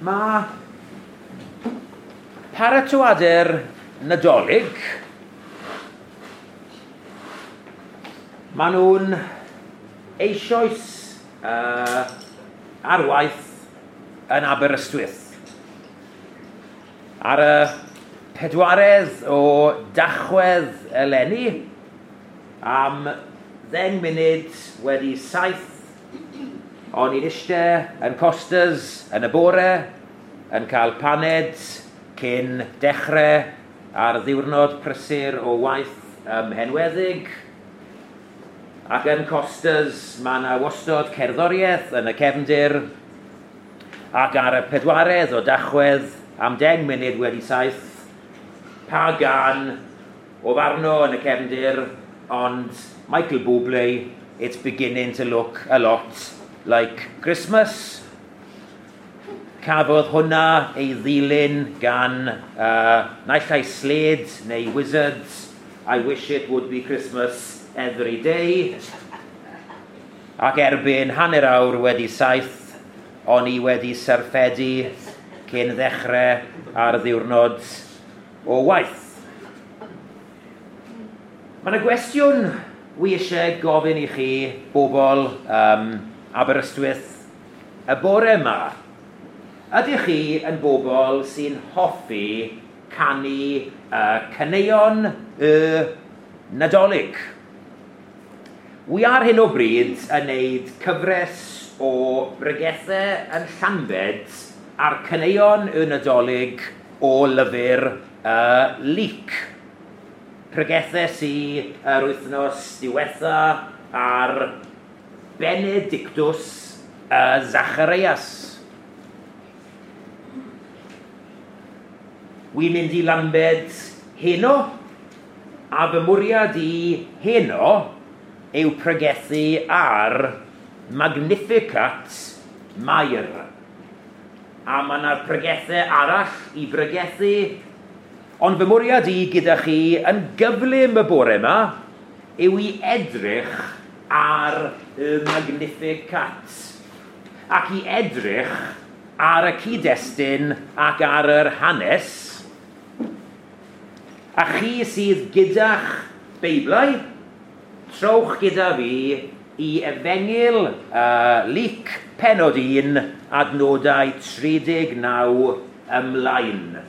Mae paratoadau'r Nadolig, maen nhw'n eisoes ar waith yn Aberystwyth. Ar y 4 o Dachwedd eleni, am 7:10, o'n i'n eistedd yn Costas yn y bore, yn cael paned cyn dechrau ar ddiwrnod prysur o waith ym Mhenweddig. Ac yn Costas mae yna wastod cerddoriaeth yn y cefndir, ac ar y 4 o Dachwedd am 7:10, pa gan o farno yn y cefndir, ond Michael Bublé, "It's Beginning to Look a Lot Like Christmas". Cafodd hwnna ei ddilyn gan naill ai Slade neu Wizzards, "I Wish It Would Be Christmas Every Day". Ac erbyn 7:30, o'n i wedi syrffedu cyn ddechrau ar ddiwrnod o waith. Mae yna gwestiwn wi eisiau gofyn i chi, bobl Aberystwyth, y bore yma. Ydych chi yn bobl sy'n hoffi canu caneuon y Nadolig? Wi ar hyn o bryd yn neud cyfres o bregethau yn Llanbed ar caneuon y Nadolig o lyfr Luc. Pregethau sy yr wythnos diwetha ar Benedictus Zacharias. Wi'n mynd i Lambed heno, a fy mwriad i heno yw pregethu ar Magnificat Mair. A mae yna pregethau arall i bregethu, ond fy mwriad i gyda chi yn gyflym y bore yma yw i edrych ar y Magnificat, ac i edrych ar y cyd-destun ac ar yr hanes. A chi sydd gyda'ch Beiblau, trowch gyda fi i Efengyl Luc pennod 1, adnodau 39 ymlaen.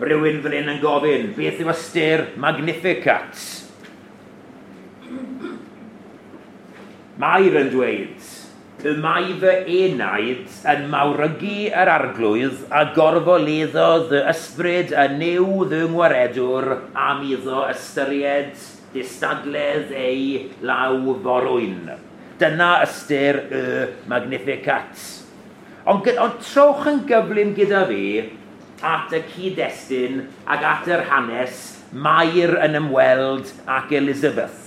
Rhywun fan hyn yn gofyn, beth yw ystyr Magnificat? Mair yn dweud, y mae fy enaid yn mawrygu yr Arglwydd a gorfoleddodd y ysbryd y Nuw fy ngwaredwr am iddo ystyried distadledd ei law forwyn. Dyna ystyr y Magnificat. Ond trowch yn gyflym gyda fi at y cyd-destun ac at yr hanes Mair yn ymweld ac Elizabeth.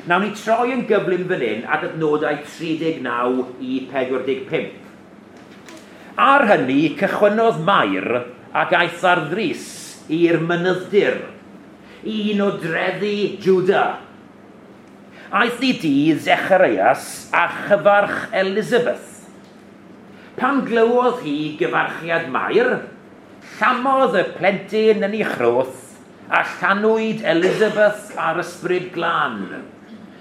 Nawn ni troi yn gyflym fan hyn at adnodau 39 i 45. Ar hynny, cychwynnodd Mair ac aeth ar ddrys i'r mynydd-dir, un o drefi Jwda. Aeth i dŷ Zecharias a chyfarch Elizabeth. Pan glywodd hi gyfarchiad Mair, llamodd y plentyn yn ei chroth a llanwyd Elizabeth ar ysbryd glân,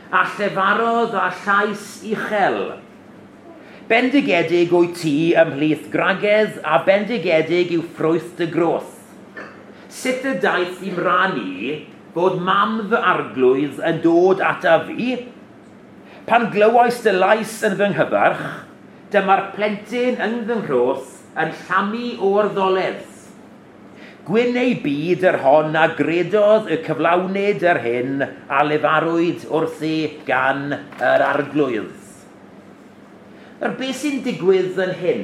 a llefarodd â llais uchel. Bendigedig wyt ti ymhlith gwragedd, a bendigedig yw ffrwyth dy groth. Sut y daeth i'm rhan i fod mam fy arglwydd yn dod ata fi? Pan glywais dy lais yn fy nghyfarch, dyma'r plentyn yn fy nghroth yn llamu o'r ddoledd. Gwyn ei byd yr hon a gredodd y cyflawnid yr hyn a lefarwyd wrthi gan yr Arglwydd. Nawr, beth sy'n digwydd yn hyn?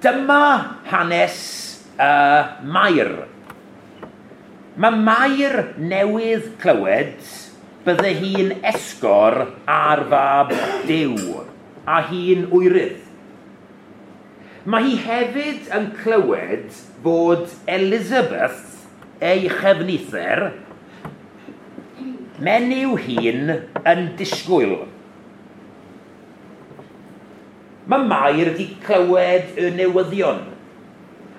Dyma hanes Mair. Mae Mair newydd clywed bydde hi'n esgor ar fab Duw, a hi'n wyrydd. Mae hi hefyd yn clywed bod Elizabeth, ei chefnither, menyw hŷn yn disgwyl. Mae Mair wedi clywed y newyddion,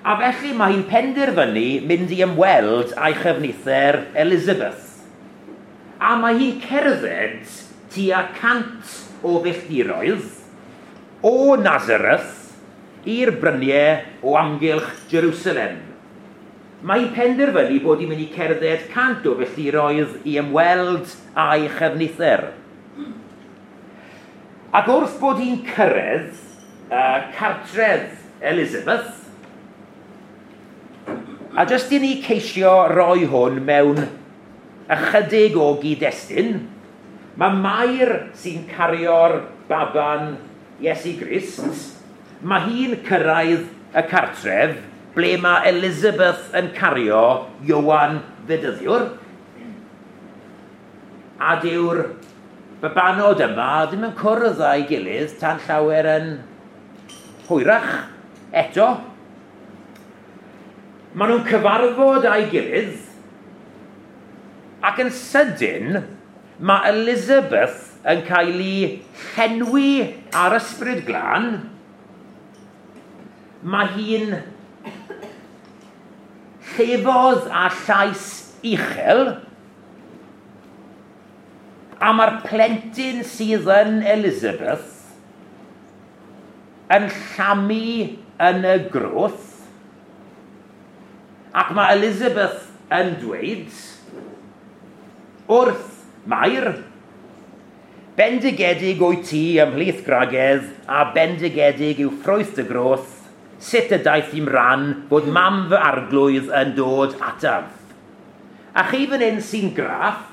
a felly mae hi'n penderfynu mynd i ymweld â'i chyfnither Elizabeth. A mae hi'n cerdded tua 100 o filltiroedd o Nazareth i'r bryniau o amgylch Jerusalem. Mae hi'n penderfynu bod hi'n mynd i cerdded 100 o filltiroedd i ymweld â'i chyfnither. Ac wrth bod hi'n cyrraedd cartref Elizabeth, a jyst i ni ceisio roi hwn mewn ychydig o gyd-destun, mae Mair sy'n cario'r baban Iesu Grist, mae hi'n cyrraedd y cartref ble mae Elizabeth yn cario Ioan Fedyddiwr, a dyw'r babanod yma ddim yn cwrdd â'i gilydd tan llawer yn hwyrach eto. Maen nhw'n cyfarfod â'i gilydd, ac yn sydyn mae Elizabeth yn cael ei llenwi ar Ysbryd Glân. Mae hi'n llefodd â llais uchel, a mae'r plentyn sydd yn Elizabeth yn llamu yn y groth, ac mae Elizabeth yn dweud wrth Mair, bendigedig wyt ti ymhlith gwragedd, a bendigedig yw ffrwyth dy groth, sut y daeth i'm rhan bod mam fy arglwydd yn dod ataf. A chi fan hyn sy'n graff,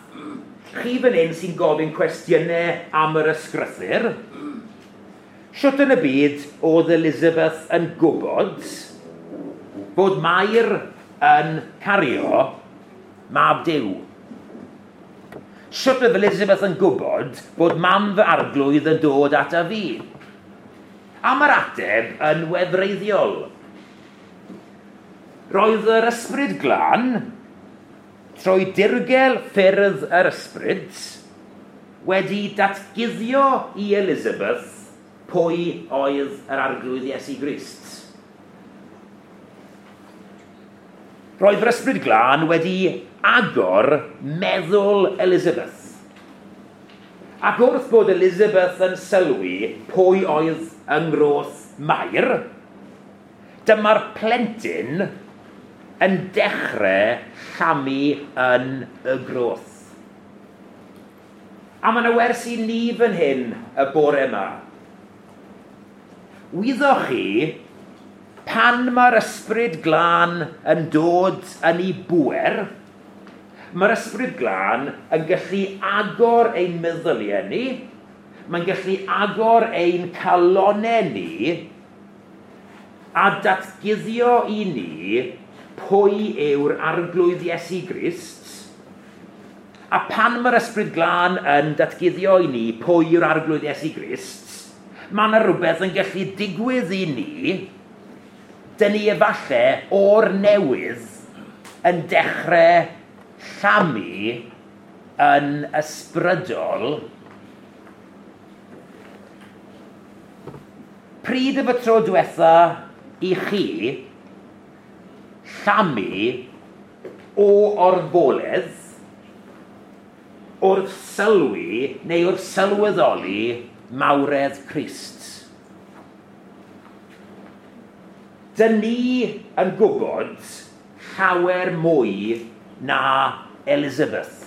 chi fan hyn sy'n gofyn cwestiynau am yr ysgrythur, shwt yn y byd oedd Elizabeth yn gwybod bod Mair yn cario mab Duw? Shwt oedd Elizabeth yn gwybod bod mam fy arglwydd yn dod ata fi? A mae'r ateb yn wefreiddiol. Roedd yr Ysbryd Glân, trwy dirgel ffyrdd yr Ysbryd, wedi datguddio i Elizabeth pwy oedd yr Arglwydd Iesu Grist. Roedd yr Ysbryd Glân wedi agor meddwl Elizabeth. Ac wrth bod Elizabeth yn sylwi pwy oedd yng ngroth Mair, dyma'r plentyn yn dechrau llamu yn y groth. A mae yna wers i ni fan hyn y bore yma. Wyddoch chi, pan mae'r Ysbryd Glân yn dod yn ei bŵer, mae'r Ysbryd Glân yn gallu agor ein meddyliau ni, mae'n gallu agor ein calonnau ni, a datguddio i ni pwy yw'r Arglwydd Iesu Grist. A pan mae'r Ysbryd Glân yn datguddio i ni pwy yw'r Arglwydd Iesu Grist, mae yna rhywbeth yn gallu digwydd i ni, dyn ni efallai o'r newydd yn dechrau llamu yn ysbrydol. Pryd y tro diwetha i chi llamu o orfoledd wrth sylwi neu wrth sylweddoli mawredd Crist? Dyn ni yn gwybod llawer mwy na Elizabeth.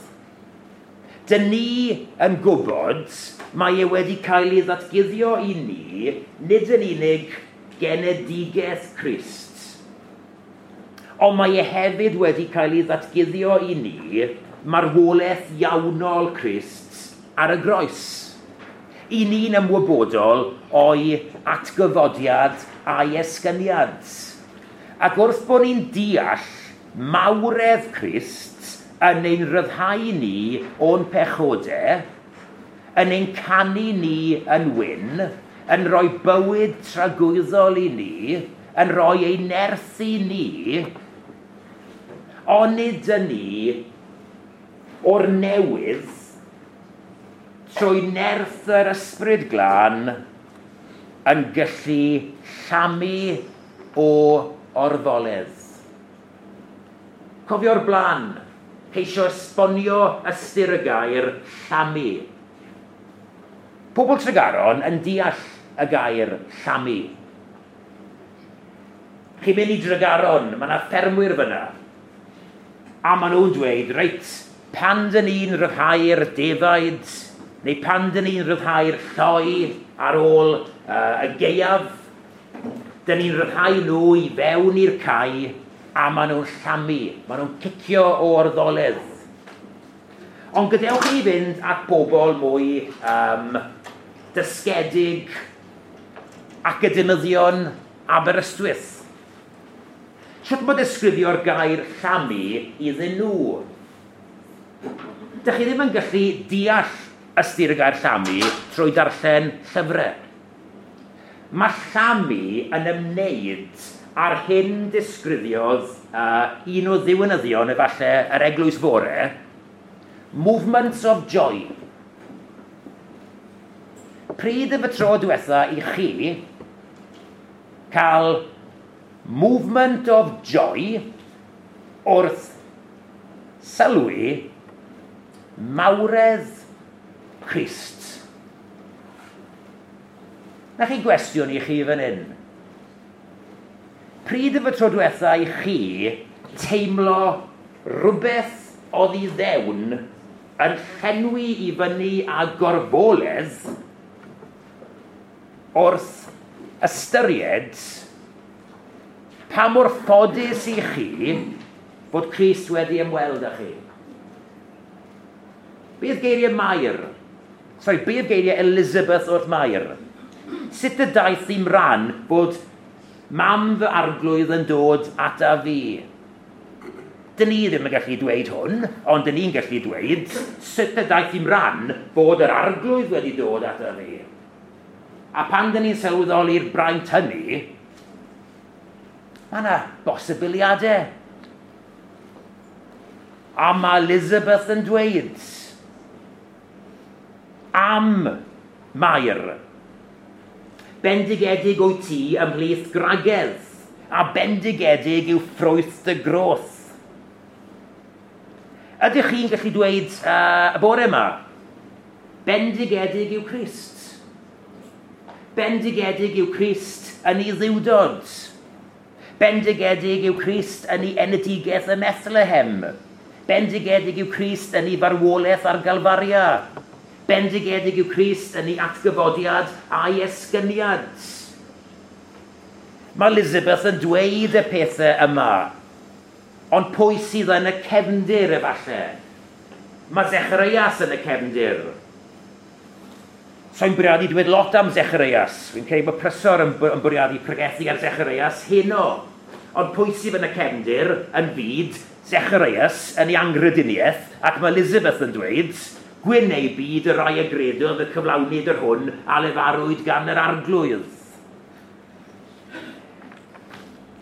Dyn ni yn gwybod mae e wedi cael ei ddatguddio i ni, nid yn unig genedigaeth Crist, ond mae e hefyd wedi cael ei ddatguddio i ni marwolaeth iawnol Crist ar y groes. I ni'n ymwybodol o'i atgyfodiad a'i esgyniad. Ac wrth bod ni'n deall mawredd Crist yn ein rhyddhau ni o'n pechodau, yn ein canu ni yn wyn, yn rhoi bywyd tragwyddol i ni, yn rhoi ei nerth i ni, onid yn ni o'r newydd trwy nerth yr Ysbryd Glân yn gallu llamu o orfoledd. Cofio'r blaen, ceisio esbonio ystyr y gair llamu. Pobl Tregaron yn deall y gair llamu. Chi'n mynd i Dregaron, mae yna ffermwyr fyna. A maen nhw'n dweud, reit, pan dyn ni'n rhyddhau'r defaid, neu pan dyn ni'n rhyddhau'r lloi ar ôl y gaeaf, dyn ni'n rhyddhau nhw i fewn i'r cae, a maen nhw'n llamu, maen nhw'n cicio o orfoledd. Ond gadewch i ni fynd at bobl mwy dysgedig, academyddion Aberystwyth. Sut mae disgrifio'r gair llamu iddyn nhw? Dych chi ddim yn gallu deall ystyr y gair llamu trwy darllen llyfrau. Mae llamu yn ymwneud â'r hyn disgrifiodd un o ddiwinyddion efallai yr Eglwys Fore, movements of joy. Pryd y tro diwetha i chi cael movement of joy wrth sylwi mawredd Crist? Na chi gwestiwn i chi fan hyn. Pryd y tro diwetha i chi teimlo rhywbeth oddi fewn yn llenwi i fyny â gorfoledd wrth ystyried pa mor ffodus i chi bod Crist wedi ymweld â chi? Beth geiriau Mair? Sorry, beth geiriau Elizabeth wrth Mair? Sut y daeth i'm ran bod mam fy arglwydd yn dod ata fi? Dyn ni ddim yn gallu dweud hwn, ond dyn ni'n gallu dweud sut y daeth i'm ran bod yr arglwydd wedi dod ata fi. A pan dyn ni'n sylweddoli'r braint hynny, mae yna bosibiliadau. A mae Elizabeth yn dweud am Mair, bendigedig wyt ti ymhlith gwragedd, a bendigedig yw ffrwyth dy groth. Ydych chi'n gallu dweud y bore yma, bendigedig yw Crist? Bendigedig yw Crist yn ei ddiwdod. Bendigedig yw Crist yn ei enedigaeth ym Methlehem. Bendigedig yw Crist yn ei farwolaeth ar Galfaria. Bendigedig yw Crist yn ei atgyfodiad a'i esgyniad. Mae Elizabeth yn dweud y pethau yma, ond pwy sydd yn y cefndir efallai? Mae Zecharias yn y cefndir. So'n bwriadu dweud lot am Zecharias. Fi'n credu bod Prysor yn bwriadu pregethu ar Zecharias heno. Ond pwy sydd yn y cefndir yn fyd Zecharias yn ei anghrediniaeth, ac mae Elizabeth yn dweud, gwyn ei byd y rai a gredodd y cyflawnid yr hwn a lefarwyd gan yr arglwydd.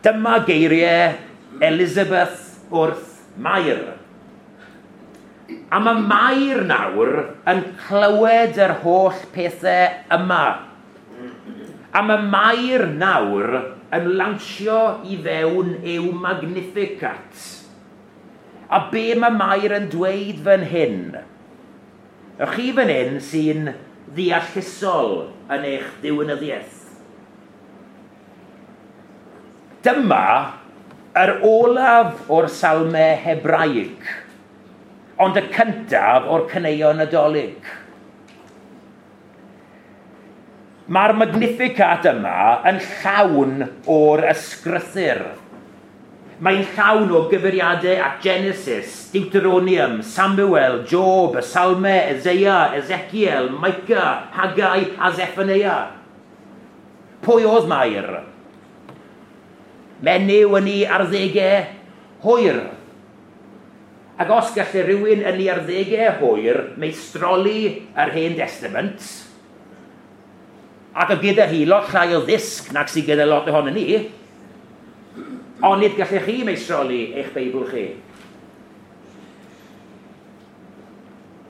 Dyma geiriau Elizabeth wrth Mair. A mae Mair nawr yn clywed yr holl pethau yma. A mae Mair nawr yn lansio i fewn i'w Magnificat. A be mae Mair yn dweud fan hyn? Y chi fan hyn sy'n ddeallusol yn eich diwinyddiaeth. Dyma yr olaf o'r salmau Hebraeg, ond y cyntaf o'r caneuon Nadolig. Mae'r Magnificat yma yn llawn o'r ysgrythur. Mae'n llawn o gyfeiriadau at Genesis, Deuteronomium, Samuel, Job, y Salmau, Isaiah, Ezekiel, Micah, Haggai a Zephaniah. Pwy oedd Mair? Menyw yn ei arddegau hwyr. Ac os gallai rhywun yn ei arddegau hwyr meistroli yr Hen Testament, ac oedd gyda hi lot llai o ddysg nag sydd gyda lot ohono ni, ond nid gallech chi meistroli eich Beibl chi.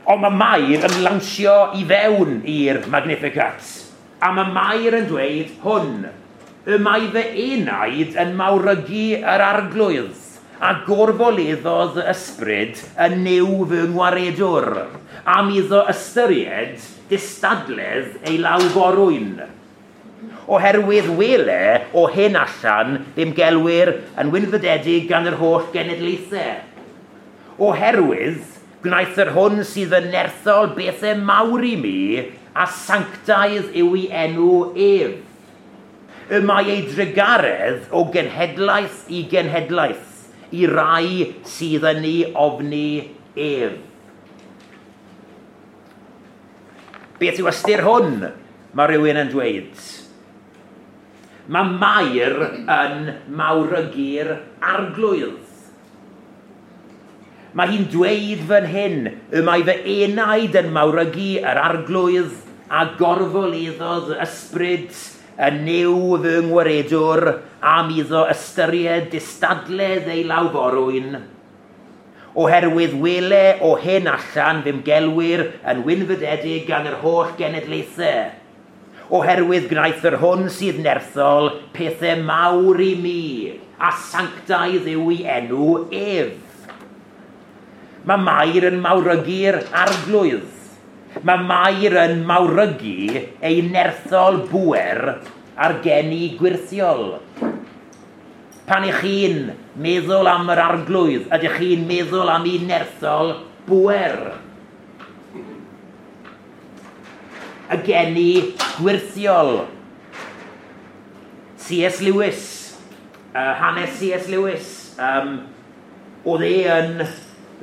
Ond mae Mair yn lansio i fewn i'r Magnificat. A mae Mair yn dweud hwn, y mae fy enaid yn mawrygu yr arglwydd, a gorfoleddodd y ysbryd yn Nuw fy ngwaredwr, am iddo ystyried distadledd ei lawforwyn. Oherwydd wele o hyn allan ddim gelwir yn wynfydedig gan yr holl genedlaethau. Oherwydd gwnaeth yr hwn sydd yn nerthol bethau mawr i mi, a sanctaidd yw ei enw ef. Y mae ei drugaredd o genhedlaeth i genhedlaeth, i rai sydd yn ei ofni ef. Beth yw ystyr hwn? Mae rhywun yn dweud. Mae Mair yn mawrygu'r arglwydd. Mae hi'n dweud fan hyn, y mae fy enaid yn mawrygu yr arglwydd a gorfoleddodd ysbryd y Nuw fy ngwaredwr am iddo ystyried distadledd ei lawforwyn. Oherwydd wele o hyn allan fy gelwir yn wynfydedig gan yr holl genedlaethau. Oherwydd gwnaeth yr hwn sydd nerthol pethau mawr i mi, a sanctaidd yw ei enw ef. Mae Mair yn mawrygu'r arglwydd. Mae Mair yn mawrygu ei nerthol bŵer ar geni gwyrthiol. Pan ych chi'n meddwl am yr arglwydd, ydych chi'n meddwl am ei nerthol bŵer? Y geni gwyrthiol. C.S. Lewis, hanes C.S. Lewis, oedd e yn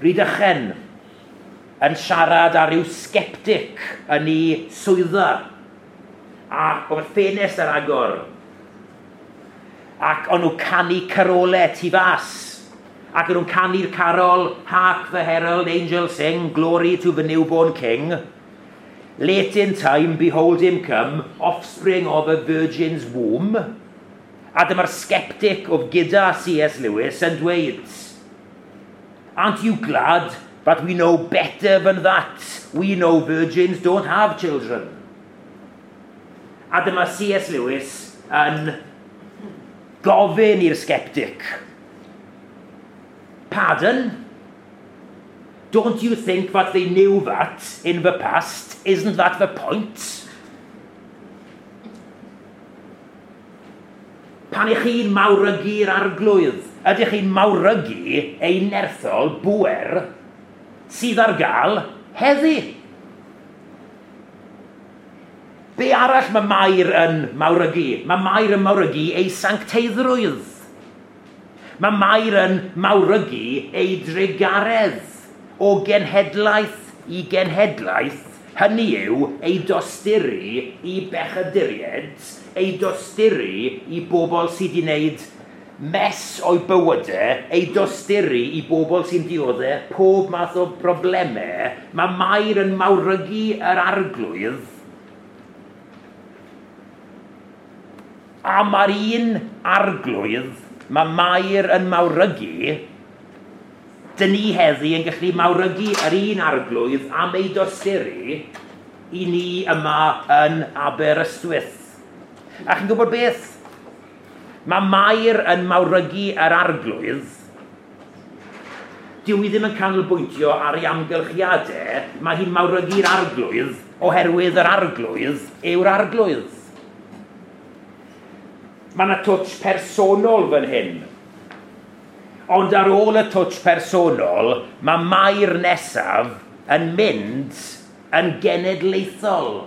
Rhydychen yn siarad â rhyw sceptic yn ei swyddfa. A oedd ffenest ar agor. Ac o'n nhw canu carolau tu fas. Ac o'n nhw'n canu'r carol, Hark the Herald Angels Sing, Glory to the Newborn King. Late in time, behold him come, offspring of a virgin's womb. A dyma'r sceptic oedd gyda C.S. Lewis yn dweud, Aren't you glad that we know better than that? We know virgins don't have children. A dyma C.S. Lewis yn gofyn i'r sceptic. Pardon? Don't you think that they knew that in the past? Isn't that the point? Pan ych chi'n mawrygu'r arglwydd, ydych chi'n mawrygu ei nerthol bŵer sydd ar gael heddi? Be arall mae Mair yn mawrygu? Mae Mair yn mawrygu ei sancteiddrwydd. Mae Mair yn mawrygu ei drugaredd o genhedlaeth i genhedlaeth, hynny yw ei dosturi i bechaduriaid, ei dosturi i bobl sydd wedi wneud mess o'i bywydau, ei dosturi i bobl sy'n dioddef pob math o broblemau. Mae Mair yn mawrygu yr arglwydd. A mae'r un arglwydd, mae Mair yn mawrygu, dyn ni heddi yn gallu mawrygu yr un arglwydd am ei dosturi i ni yma yn Aberystwyth. A chi'n gwybod beth? Mae Mair yn mawrygu yr arglwydd. Dyw hi ddim yn canolbwyntio ar ei amgylchiadau, mae hi'n mawrygu'r arglwydd oherwydd yr arglwydd yw'r arglwydd. Mae yna twtsh personol fan hyn. Ond ar ôl y twtsh personol, mae Mair nesaf yn mynd yn genedlaethol.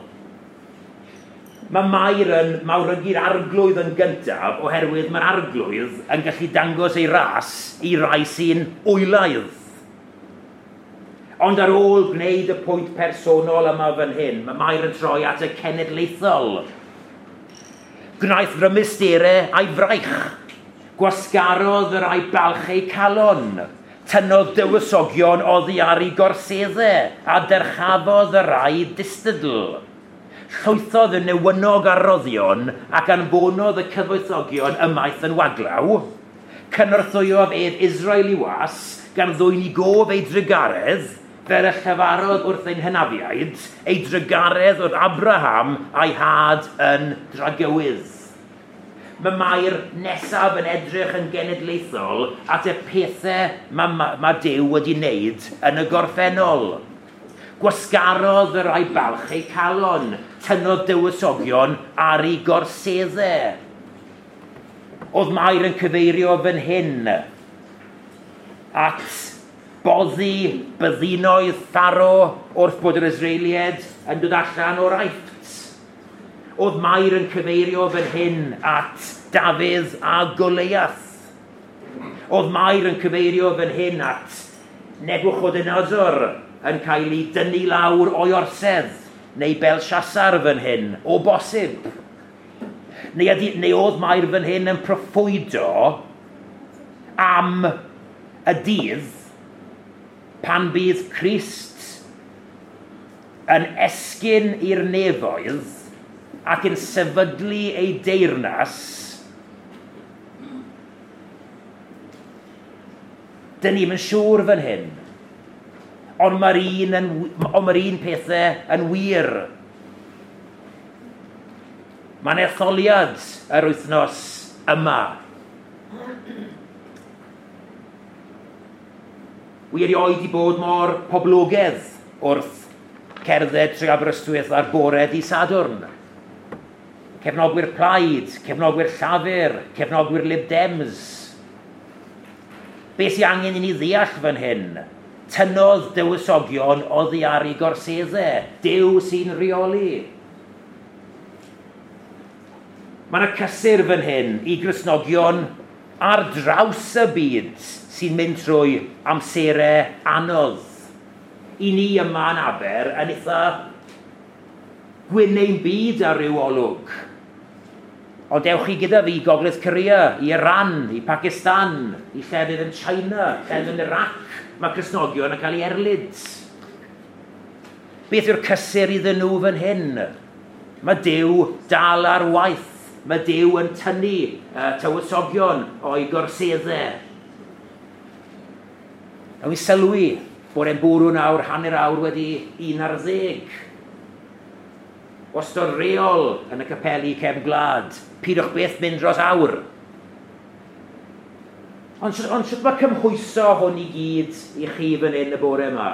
Mae Mair yn mawrygu'r arglwydd yn gyntaf oherwydd mae'r arglwydd yn gallu dangos ei ras i rai sy'n wylaidd. Ond ar ôl gwneud y pwynt personol yma fan hyn, mae Mair yn troi at y cenedlaethol. Gwnaeth rymusterau a'i fraich. Gwasgarodd yr a'i balch ei calon. Tynnodd dywysogion oddi ar ei gorseddau a dyrchafodd yr a'i distadl. Llwythodd y newynog ar roddion ac anfonodd y cyfoethogion ymaith yn waglaw. Cynorthwyodd ef Israel i was gan ddwyn i gof ei drugaredd fel y llefarodd wrth ein hynafiaid, ei drugaredd wrth Abraham a'i had yn dragywydd. Mae Mair nesaf yn edrych yn genedlaethol at y pethau mae Duw wedi wneud yn y gorffennol. Gwasgarodd y rhai balch eu calon, tynnodd dywysogion ar ei gorseddau. Oedd Mair yn cyfeirio fan hyn at boddi byddinoedd Pharo wrth bod yr Israeliaid yn dod allan o'r Aifft. Oedd Mair yn cyfeirio fan hyn at Dafydd a Goliath. Oedd Mair yn cyfeirio fan hyn at Nebuchadnezzar yn cael ei dynnu lawr o'i orsedd, neu Belshazzar fan hyn, o bosib. Neu oedd Mair fan hyn yn proffwydo am y dydd pan bydd Crist yn esgyn i'r nefoedd ac yn sefydlu ei deyrnas. Dyn ni'm yn siŵr fan hyn, ond mae'r un pethau yn wir. Mae'n etholiad yr wythnos yma. Wi erioed i bod mor poblogaidd wrth cerdded trwy Aberystwyth ar bore dydd Sadwrn. Cefnogwyr Plaid, cefnogwyr Llafur, cefnogwyr Lib Dems. Be sy'n angen i ni ddeall fan hyn? Tynnodd dywysogion oddi ar ei gorseddau. Duw sy'n rheoli. Mae yna cysur fan hyn i Gristnogion ar draws y byd sy'n mynd trwy amserau anodd. I ni yma yn Aber yn eitha gwyn ein byd ar ryw olwg. Ond dewch chi gyda fi i Gogledd Korea, i Iran, i Pakistan, i llefydd yn China, llefydd yn Iraq. Mae Cristnogion yn cael ei erlid. Beth yw'r cysur iddyn nhw fan hyn? Mae Duw dal ar waith. Mae Duw yn tynnu tywysogion o'i gorseddau. A wi sylwi bod e'n bwrw nawr 11:30. Wastad reol yn y capeli cefn gwlad, pidwch beth mynd dros awr. Ond sut mae cymhwyso hwn i gyd i chi fan hyn y bore yma?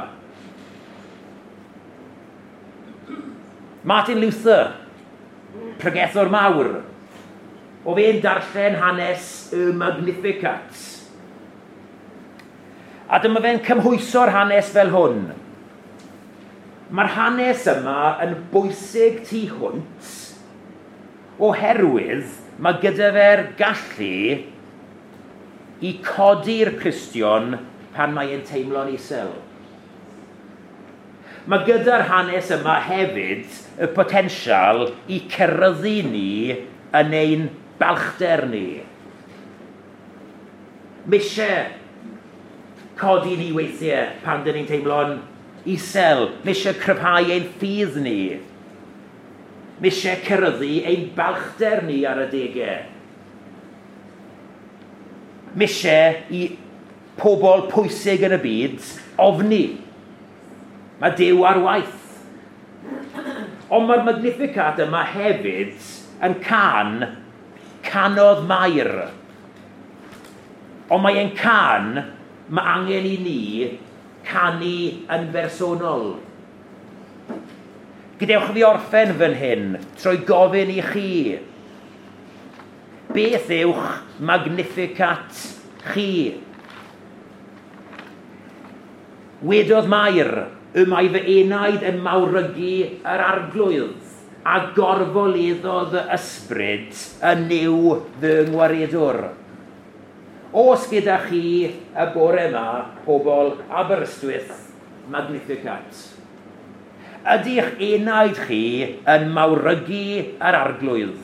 Martin Luther, pregethwr mawr, o fe'n darllen hanes y Magnificat. A dyma fe'n cymhwyso'r hanes fel hwn. Mae'r hanes yma yn bwysig tu hwnt oherwydd mae gyda fe'r gallu i codi'r Cristion pan mae e'n teimlo'n isel. Mae gyda'r hanes yma hefyd y potensial i ceryddu ni yn ein balchder ni. Mae eisiau codi ni weithiau pan dyn ni'n teimlo'n isel. Mae eisiau cryfhau ein ffydd ni. Mae eisiau ceryddu ein balchder ni ar adegau. Mae eisiau i pobl pwysig yn y byd ofni. Mae Duw ar waith. Ond mae'r Magnificat yma hefyd yn canodd Mair. Ond mae e'n can, mae angen i ni canu yn bersonol. Gadewch fi orffen fan hyn trwy gofyn i chi. Beth yw'ch Magnificat chi? Wedodd Mair, y mae fy enaid yn mawrygu yr arglwydd, a gorfoleddodd y ysbryd yn Nuw fy ngwaredwr. Os gyda chi y bore yma, pobl Aberystwyth, Magnificat. Ydy'ch enaid chi yn mawrygu yr arglwydd?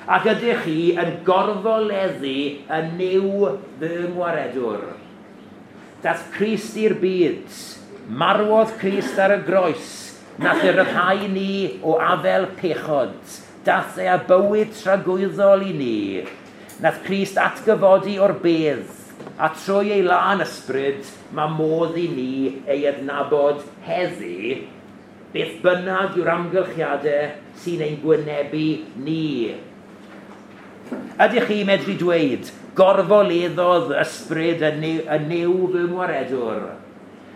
Ac ydych chi yn gorfoleddu y Nuw fy ngwaredwr? Dath Crist i'r byd, marwodd Crist ar y groes, nath e ryddhau ni o afel pechod, dath e â bywyd tragwyddol i ni, nath Crist atgyfodi o'r bedd, A trwy ei lân ysbryd, mae modd i ni ei adnabod heddi, beth bynnag yw'r amgylchiadau sy'n ein gwynebu ni. Ydych chi medru dweud, "Gorfoleddodd ysbryd y Nuw fy ngwaredwr"?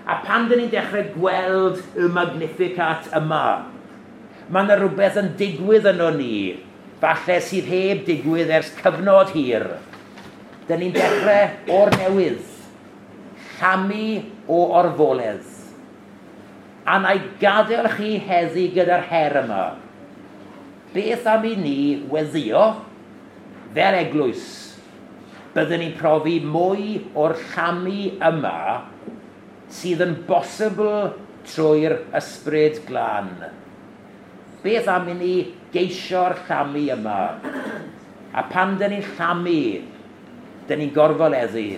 A pan dyn ni'n dechrau gweld y Magnificat yma, mae yna rhywbeth yn digwydd yno ni, falle sydd heb digwydd ers cyfnod hir. Dyn ni'n dechrau o'r newydd, llamu o orfoledd. A na i gadael chi heddi gyda'r her yma. Beth am i ni weddio fel eglwys? Byddwn ni'n profi mwy o'r llamu yma sydd yn bosibl trwy'r Ysbryd Glân. Beth am i ni geisio'r llamu yma? A pan dyn ni'n llamu, dyn ni'n gorfoleddu.